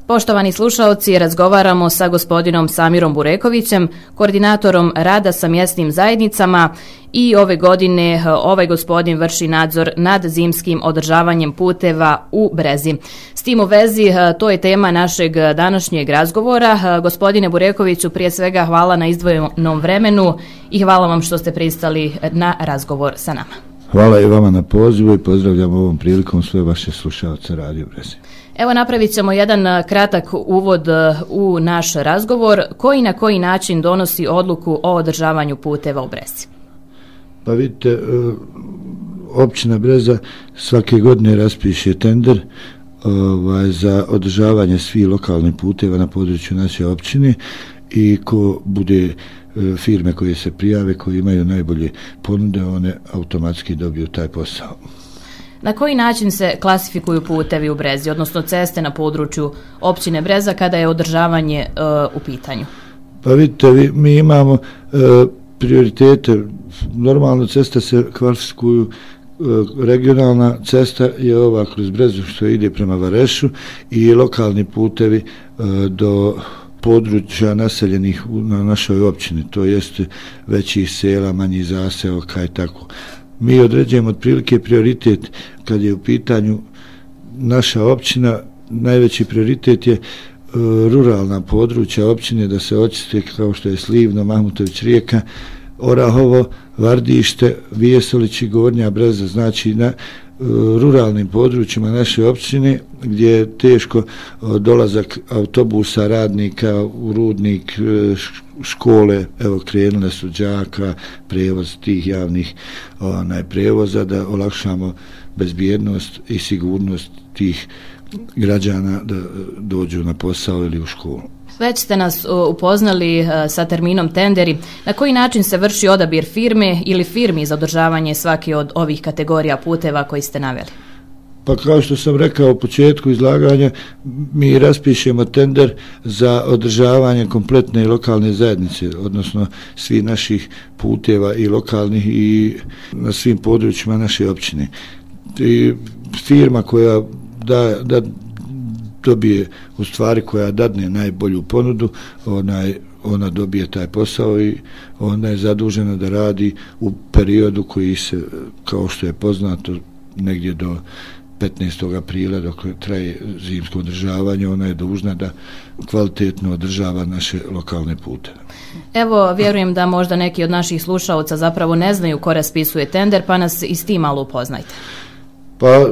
Poštovani slušaoci, razgovaramo sa gospodinom Samirom Burekovićem, koordinatorom rada sa mjesnim zajednicama i ove godine ovaj gospodin vrši nadzor nad zimskim održavanjem puteva u Brezi. S tim u vezi, to je tema našeg današnjeg razgovora. Gospodine Burekoviću, prije svega hvala na izdvojenom vremenu i hvala vam što ste pristali na razgovor sa nama. Hvala i vama na pozivu i pozdravljam ovom prilikom sve vaše slušalce Radio Brezi. Evo, napravit ćemo jedan kratak uvod u naš razgovor. Koji na koji način donosi odluku o održavanju puteva u Brezi? Pa vidite, općina Breza svake godine raspiše tender za održavanje svih lokalnih puteva na području naše općine i ko bude firme koje se prijave, koje imaju najbolje ponude, one automatski dobiju taj posao. Na koji način se klasifikuju putevi u Brezi, odnosno ceste na području općine Breza kada je održavanje u pitanju? Pa vidite, mi imamo prioritete. Normalno ceste se klasifikuju, regionalna cesta je ova kroz Brezu što ide prema Varešu i lokalni putevi do područja naseljenih na našoj općini, to jeste većih sela, manjih zaseoka i tako. Mi određujemo otprilike prioritet kad je u pitanju naša općina. Najveći prioritet je ruralna područja općine da se očiste, kao što je Slivno, Mahmutović Rijeka, Orahovo, Vardište, Vijesolić i Gornja Breza, znači na ruralnim područjima naše općine gdje je teško dolazak autobusa, radnika u Rudnik, škole, evo krenule su đaka, prevoz tih javnih prevoza, da olakšamo bezbjednost i sigurnost tih građana da dođu na posao ili u školu. Već ste nas upoznali sa terminom tenderi. Na koji način se vrši odabir firme ili firmi za održavanje svake od ovih kategorija puteva koji ste naveli? Pa kao što sam rekao u početku izlaganja, mi raspišemo tender za održavanje kompletne lokalne zajednice, odnosno svih naših puteva i lokalnih i na svim područjima naše općine. I firma koja da dobije, u stvari koja dadne najbolju ponudu, ona dobije taj posao i ona je zadužena da radi u periodu koji se, kao što je poznato, negdje do 15. aprila dok traje zimsko održavanje, ona je dužna da kvalitetno održava naše lokalne puteve. Evo, vjerujem da možda neki od naših slušalaca zapravo ne znaju ko raspisuje tender, pa nas i s tim malo upoznajte. Pa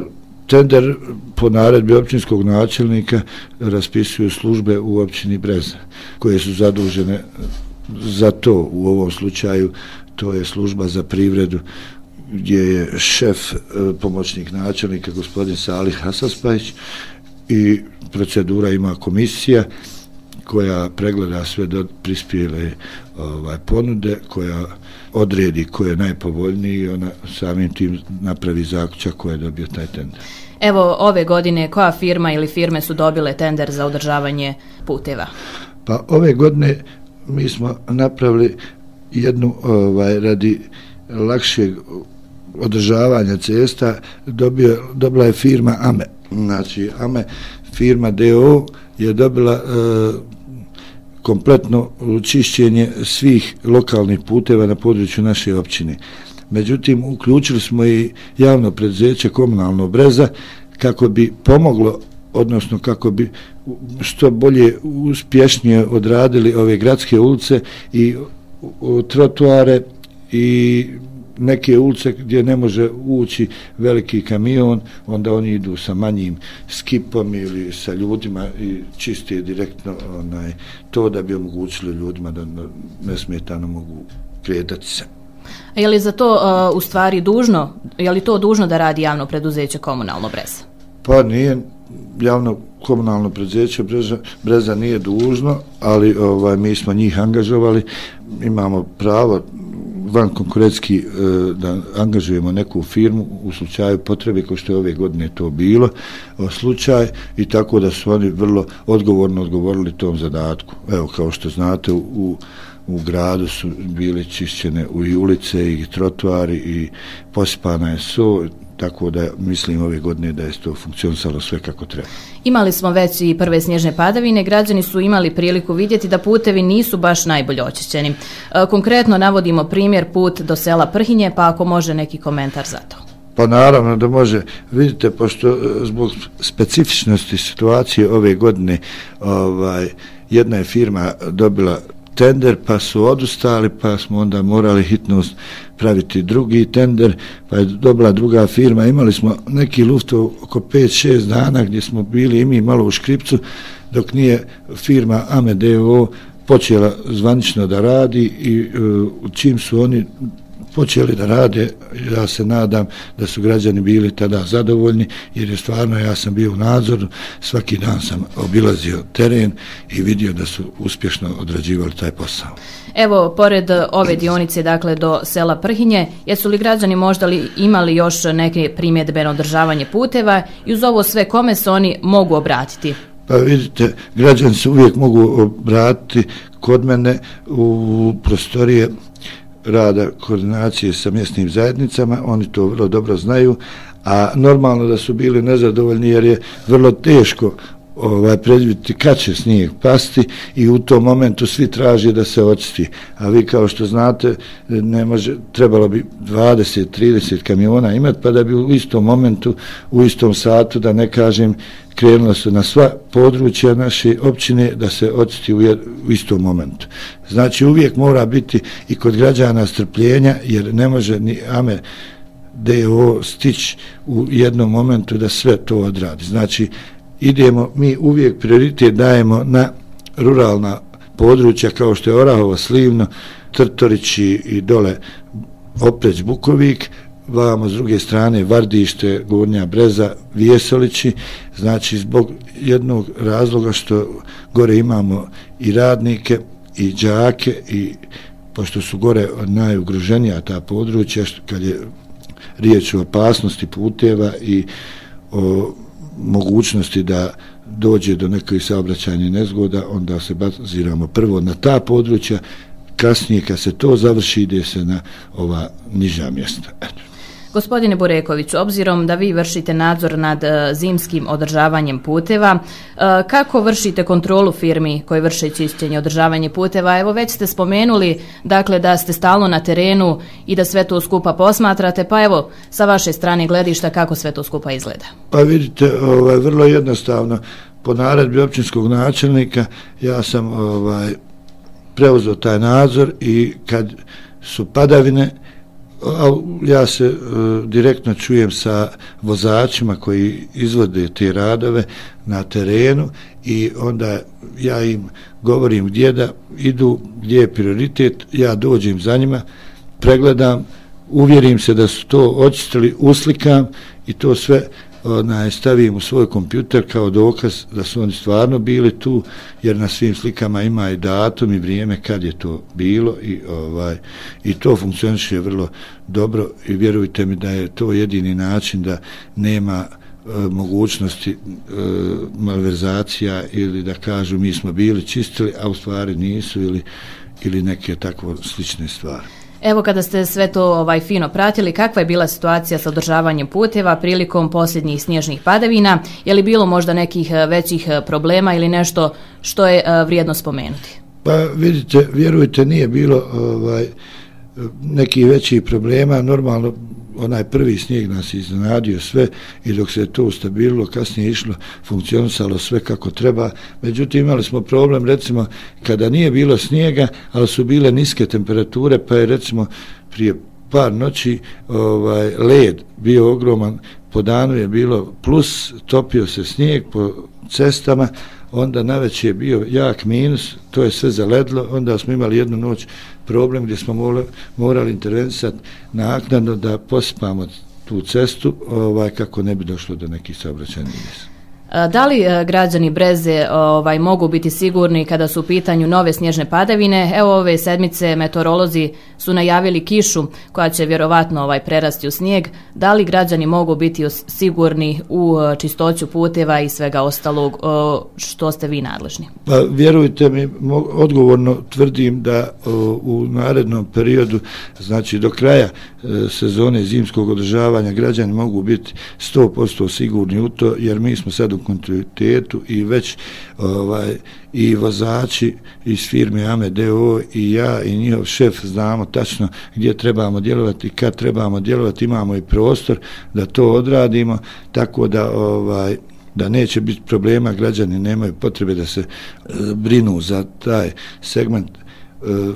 tender po naredbi općinskog načelnika raspisuju službe u općini Breza koje su zadužene za to. U ovom slučaju to je služba za privredu gdje je šef pomoćnik načelnika gospodin Salih Hasaspajić i procedura ima komisija koja pregleda sve do prispjele ponude, koja odredi ko je najpovoljniji i ona samim tim napravi zaključak ko je dobio taj tender. Evo, ove godine koja firma ili firme su dobile tender za održavanje puteva? Pa ove godine mi smo napravili jednu radi lakšeg održavanja cesta, dobila je firma AME. Znači AME firma DO je dobila kompletno čišćenje svih lokalnih puteva na području naše općine. Međutim, uključili smo i javno preduzeće Komunalno Breza kako bi pomoglo, odnosno kako bi što bolje uspješnije odradili ove gradske ulice i trotoare i neke ulice gdje ne može ući veliki kamion, onda oni idu sa manjim skipom ili sa ljudima i čiste direktno to da bi omogućili ljudima da nesmetano mogu kretati se. Je li za to u stvari dužno, je li to dužno da radi javno preduzeće Komunalno Breza? Pa nije javno komunalno preduzeće Breza nije dužno, ali mi smo njih angažovali, imamo pravo van konkurentski da angažujemo neku firmu u slučaju potrebe, kao što je ove godine to bilo slučaj, i tako da su oni vrlo odgovorno odgovorili tom zadatku. Evo, kao što znate, u gradu su bile čišćene i ulice i trotoari i posipana je so, tako da mislim ove godine da je to funkcionisalo sve kako treba. Imali smo već i prve snježne padavine, građani su imali priliku vidjeti da putevi nisu baš najbolje očišćeni. Konkretno navodimo primjer put do sela Prhinje, pa ako može neki komentar za to. Pa naravno da može. Vidite, pošto zbog specifičnosti situacije ove godine jedna je firma dobila tender, pa su odustali, pa smo onda morali hitno praviti drugi tender, pa je dobila druga firma. Imali smo neki luft oko 5-6 dana gdje smo bili i mi malo u škripcu, dok nije firma AME.DO počela zvanično da radi i čim su oni počeli da rade, ja se nadam da su građani bili tada zadovoljni, jer je stvarno, ja sam bio u nadzoru, svaki dan sam obilazio teren i vidio da su uspješno odrađivali taj posao. Evo, pored ove dionice, dakle, do sela Prhinje, jesu li građani možda imali još neke primjedbe na održavanje puteva i uz ovo sve kome se oni mogu obratiti? Pa vidite, građani se uvijek mogu obratiti kod mene u prostorije rada koordinacije sa mjesnim zajednicama, oni to vrlo dobro znaju, a normalno da su bili nezadovoljni jer je vrlo teško predvidjeti kad će snijeg pasti i u tom momentu svi traže da se očisti. A vi kao što znate, trebalo bi 20-30 kamiona imati, pa da bi u istom momentu, u istom satu, da ne kažem, krenulo se na sva područja naše općine da se očisti u istom momentu. Znači uvijek mora biti i kod građana strpljenja, jer ne može ni AME.DO stići u jednom momentu da sve to odradi. Znači idemo, mi uvijek prioritet dajemo na ruralna područja kao što je Orahovo, Slivno, Trtorići i dole Opreć, Bukovik, vamo s druge strane Vardište, Gornja Breza, Vijesolići, znači zbog jednog razloga što gore imamo i radnike i đake i pošto su gore najugroženija ta područja kad je riječ o opasnosti puteva i o mogućnosti da dođe do nekih saobraćajnih nezgoda, onda se baziramo prvo na ta područja, kasnije kad se to završi ide se na ova niža mjesta. Gospodine Burekoviću, obzirom da vi vršite nadzor nad zimskim održavanjem puteva, kako vršite kontrolu firmi koje vrše čišćenje i održavanje puteva? Evo već ste spomenuli, dakle, da ste stalno na terenu i da sve to skupa posmatrate, pa evo sa vaše strane gledišta kako sve to skupa izgleda. Pa vidite, vrlo jednostavno, po naredbi općinskog načelnika ja sam preuzeo taj nadzor i kad su padavine, ja se direktno čujem sa vozačima koji izvode te radove na terenu i onda ja im govorim gdje da idu, gdje je prioritet, ja dođem za njima, pregledam, uvjerim se da su to očistili, uslikam i to sve stavim u svoj kompjuter kao dokaz da su oni stvarno bili tu, jer na svim slikama ima i datum i vrijeme kad je to bilo i to funkcioniše vrlo dobro i vjerujte mi da je to jedini način da nema mogućnosti malverzacija ili da kažu mi smo bili čistili, a u stvari nisu ili neke takvo slične stvari. Evo kada ste sve to fino pratili, kakva je bila situacija sa održavanjem puteva prilikom posljednjih snježnih padavina? Je li bilo možda nekih većih problema ili nešto što je vrijedno spomenuti? Pa vidite, vjerujte, nije bilo nekih većih problema. Normalno, onaj prvi snijeg nas iznenadio sve i dok se to ustabililo, kasnije išlo, funkcionisalo sve kako treba. Međutim, imali smo problem, recimo, kada nije bilo snijega, ali su bile niske temperature, pa je recimo prije par noći led bio ogroman, po danu je bilo plus, topio se snijeg po cestama, onda navečer je bio jak minus, to je sve zaledlo, onda smo imali jednu noć problem gdje smo morali intervenisati naknadno da posipamo tu cestu kako ne bi došlo do nekih saobraćajnih nezgoda. Da li građani Breze mogu biti sigurni kada su u pitanju nove snježne padavine? Evo ove sedmice meteorolozi su najavili kišu koja će vjerovatno prerasti u snijeg. Da li građani mogu biti sigurni u čistoću puteva i svega ostalog što ste vi nadležni? Pa vjerujte mi, odgovorno tvrdim da u narednom periodu, znači do kraja sezone zimskog održavanja, građani mogu biti 100% sigurni u to, jer mi smo sad u kontinuitetu i već i vozači iz firme AME.DO i ja i njihov šef znamo tačno gdje trebamo djelovati, kad trebamo djelovati, imamo i prostor da to odradimo, tako da neće biti problema, građani nemaju potrebe da se brinu za taj segment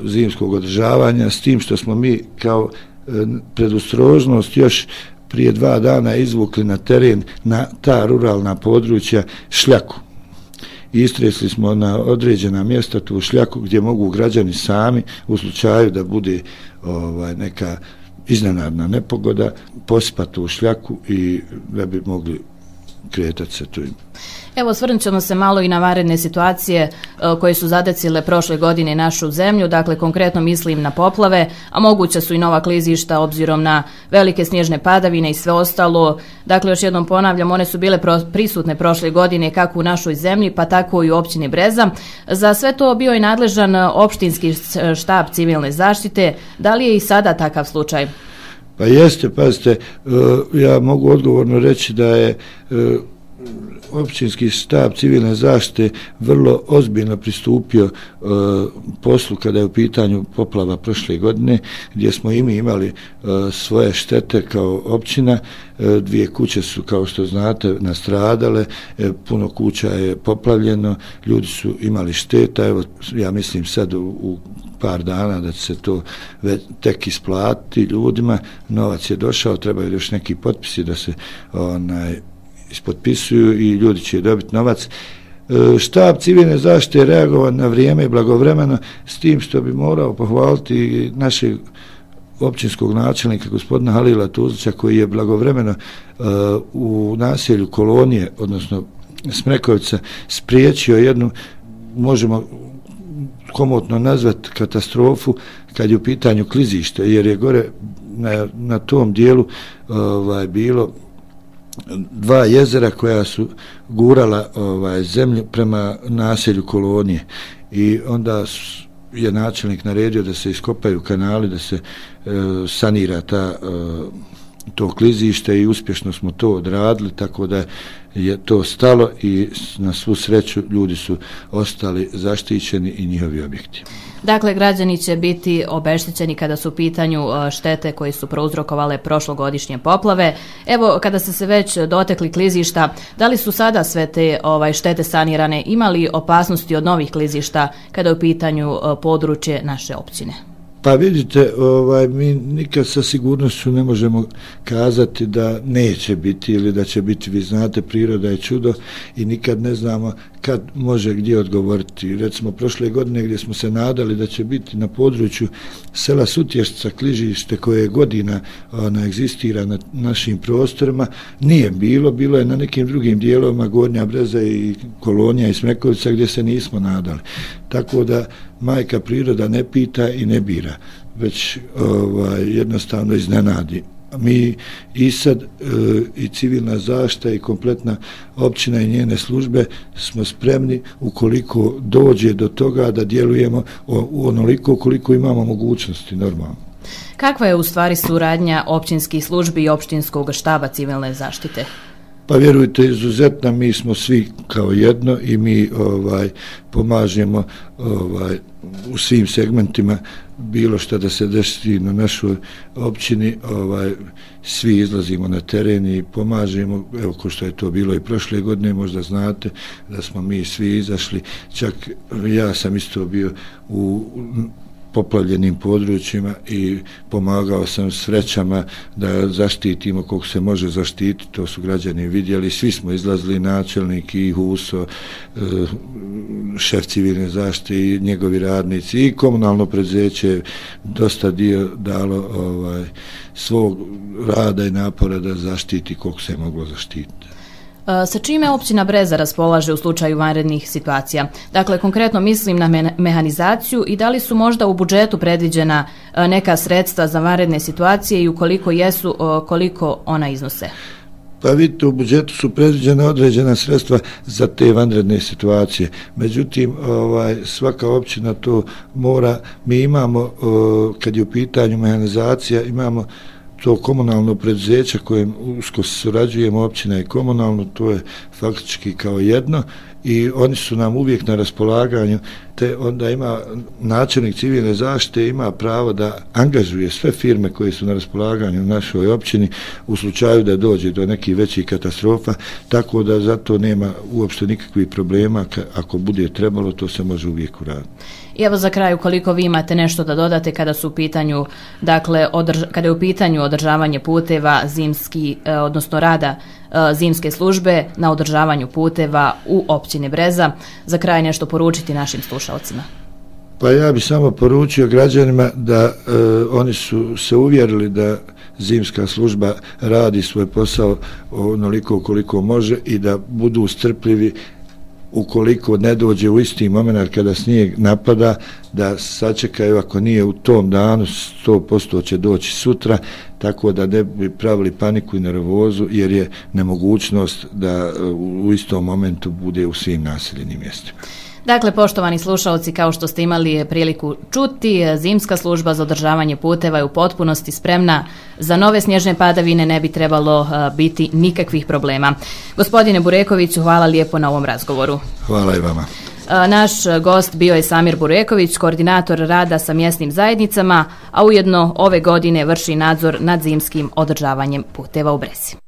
zimskog održavanja, s tim što smo mi kao predostrožnost još prije 2 dana izvukli na teren, na ta ruralna područja, šljaku. Istresli smo na određena mjesta tu šljaku gdje mogu građani sami, u slučaju da bude neka iznenadna nepogoda, posipati tu šljaku i da bi mogli kretati se tu. Evo, osvrnut ćemo se malo i na vanredne situacije koje su zadesile prošle godine našu zemlju, dakle konkretno mislim na poplave, a moguće su i nova klizišta obzirom na velike snježne padavine i sve ostalo. Dakle, još jednom ponavljam, one su bile prisutne prošle godine kako u našoj zemlji, pa tako i u općini Breza. Za sve to bio je nadležan opštinski štab civilne zaštite. Da li je i sada takav slučaj? Pa jeste, pazite, ja mogu odgovorno reći da je općinski štab civilne zaštite vrlo ozbiljno pristupio poslu kada je u pitanju poplava prošle godine, gdje smo i mi imali svoje štete kao općina. 2 kuće su, kao što znate, nastradale, puno kuća je poplavljeno, ljudi su imali šteta. Evo, ja mislim sad u par dana da će se to tek isplatiti ljudima, novac je došao, trebaju još neki potpisi da se ispotpisuju i ljudi će dobiti novac. Štab civilne zaštite je reagovao na vrijeme i blagovremeno, s tim što bi morao pohvaliti našeg općinskog načelnika gospodina Halila Tuzlića, koji je blagovremeno u naselju Kolonije, odnosno Smrekovica, spriječio jednu, možemo komotno nazvati, katastrofu kad je u pitanju klizište, jer je gore na tom dijelu bilo 2 jezera koja su gurala zemlju prema naselju Kolonije, i onda je načelnik naredio da se iskopaju kanali, da se sanira to klizište, i uspješno smo to odradili, tako da je to stalo i na svu sreću ljudi su ostali zaštićeni i njihovi objekti. Dakle, građani će biti obeštećeni kada su u pitanju štete koje su prouzrokovale prošlogodišnje poplave. Evo, kada ste se već dotekli klizišta, da li su sada sve te štete sanirane, imali opasnosti od novih klizišta kada je u pitanju područje naše općine? Pa vidite, mi nikad sa sigurnošću ne možemo kazati da neće biti ili da će biti. Vi znate, priroda je čudo i nikad ne znamo kad može gdje odgovoriti. Recimo, prošle godine gdje smo se nadali da će biti na području sela Sutještica klizište koje godina egzistira na našim prostorima, nije bilo je na nekim drugim dijelovima, Gornja Breza i Kolonija i Smrekovica, gdje se nismo nadali. Tako da majka priroda ne pita i ne bira, već jednostavno iznenadi. Mi i sad i civilna zaštita i kompletna općina i njene službe smo spremni, ukoliko dođe do toga, da djelujemo onoliko koliko imamo mogućnosti normalno. Kakva je u stvari suradnja općinskih službi i općinskog štaba civilne zaštite? Pa vjerujte, izuzetno, mi smo svi kao jedno i mi pomažemo u svim segmentima, bilo što da se desi na našoj općini, svi izlazimo na teren i pomažemo. Evo, ko što je to bilo i prošle godine, možda znate da smo mi svi izašli, čak ja sam isto bio u poplavljenim područjima i pomagao sam s vrećama da zaštitimo koliko se može zaštititi. To su građani vidjeli, svi smo izlazili, načelnik i Huso, šef civilne zaštite i njegovi radnici i komunalno preduzeće, dosta dio dalo svog rada i napora da zaštiti koliko se je moglo zaštititi. Sa čime općina Breza raspolaže u slučaju vanrednih situacija? Dakle, konkretno mislim na mehanizaciju i da li su možda u budžetu predviđena neka sredstva za vanredne situacije i ukoliko jesu, koliko ona iznose? Pa vidite, u budžetu su predviđena određena sredstva za te vanredne situacije. Međutim, svaka općina to mora, mi imamo, kad je u pitanju mehanizacija, imamo to komunalno preduzeće kojem usko surađujemo, općina i komunalno, to je faktički kao jedno i oni su nam uvijek na raspolaganju, te onda ima načelnik civilne zaštite ima pravo da angažuje sve firme koje su na raspolaganju u našoj općini u slučaju da dođe do nekih većih katastrofa, tako da zato nema uopšte nikakvih problema, ako bude trebalo to se može uvijek uraditi. I evo za kraj, ukoliko vi imate nešto da dodate kada su u pitanju, dakle, kada je u pitanju održavanje puteva zimski, odnosno rada zimske službe na održavanju puteva u općini Breza, za kraj nešto poručiti našim slušalcima. Pa ja bih samo poručio građanima da oni su se uvjerili da zimska služba radi svoj posao onoliko koliko može i da budu strpljivi ukoliko ne dođe u isti moment kada snijeg napada, da sačekaju, ako nije u tom danu 100% će doći sutra, tako da ne bi pravili paniku i nervozu, jer je nemogućnost da u istom momentu bude u svim naseljenim mjestima. Dakle, poštovani slušalci, kao što ste imali priliku čuti, zimska služba za održavanje puteva je u potpunosti spremna. Za nove snježne padavine ne bi trebalo biti nikakvih problema. Gospodine Burekoviću, hvala lijepo na ovom razgovoru. Hvala i vama. Naš gost bio je Samir Bureković, koordinator rada sa mjesnim zajednicama, a ujedno ove godine vrši nadzor nad zimskim održavanjem puteva u Brezi.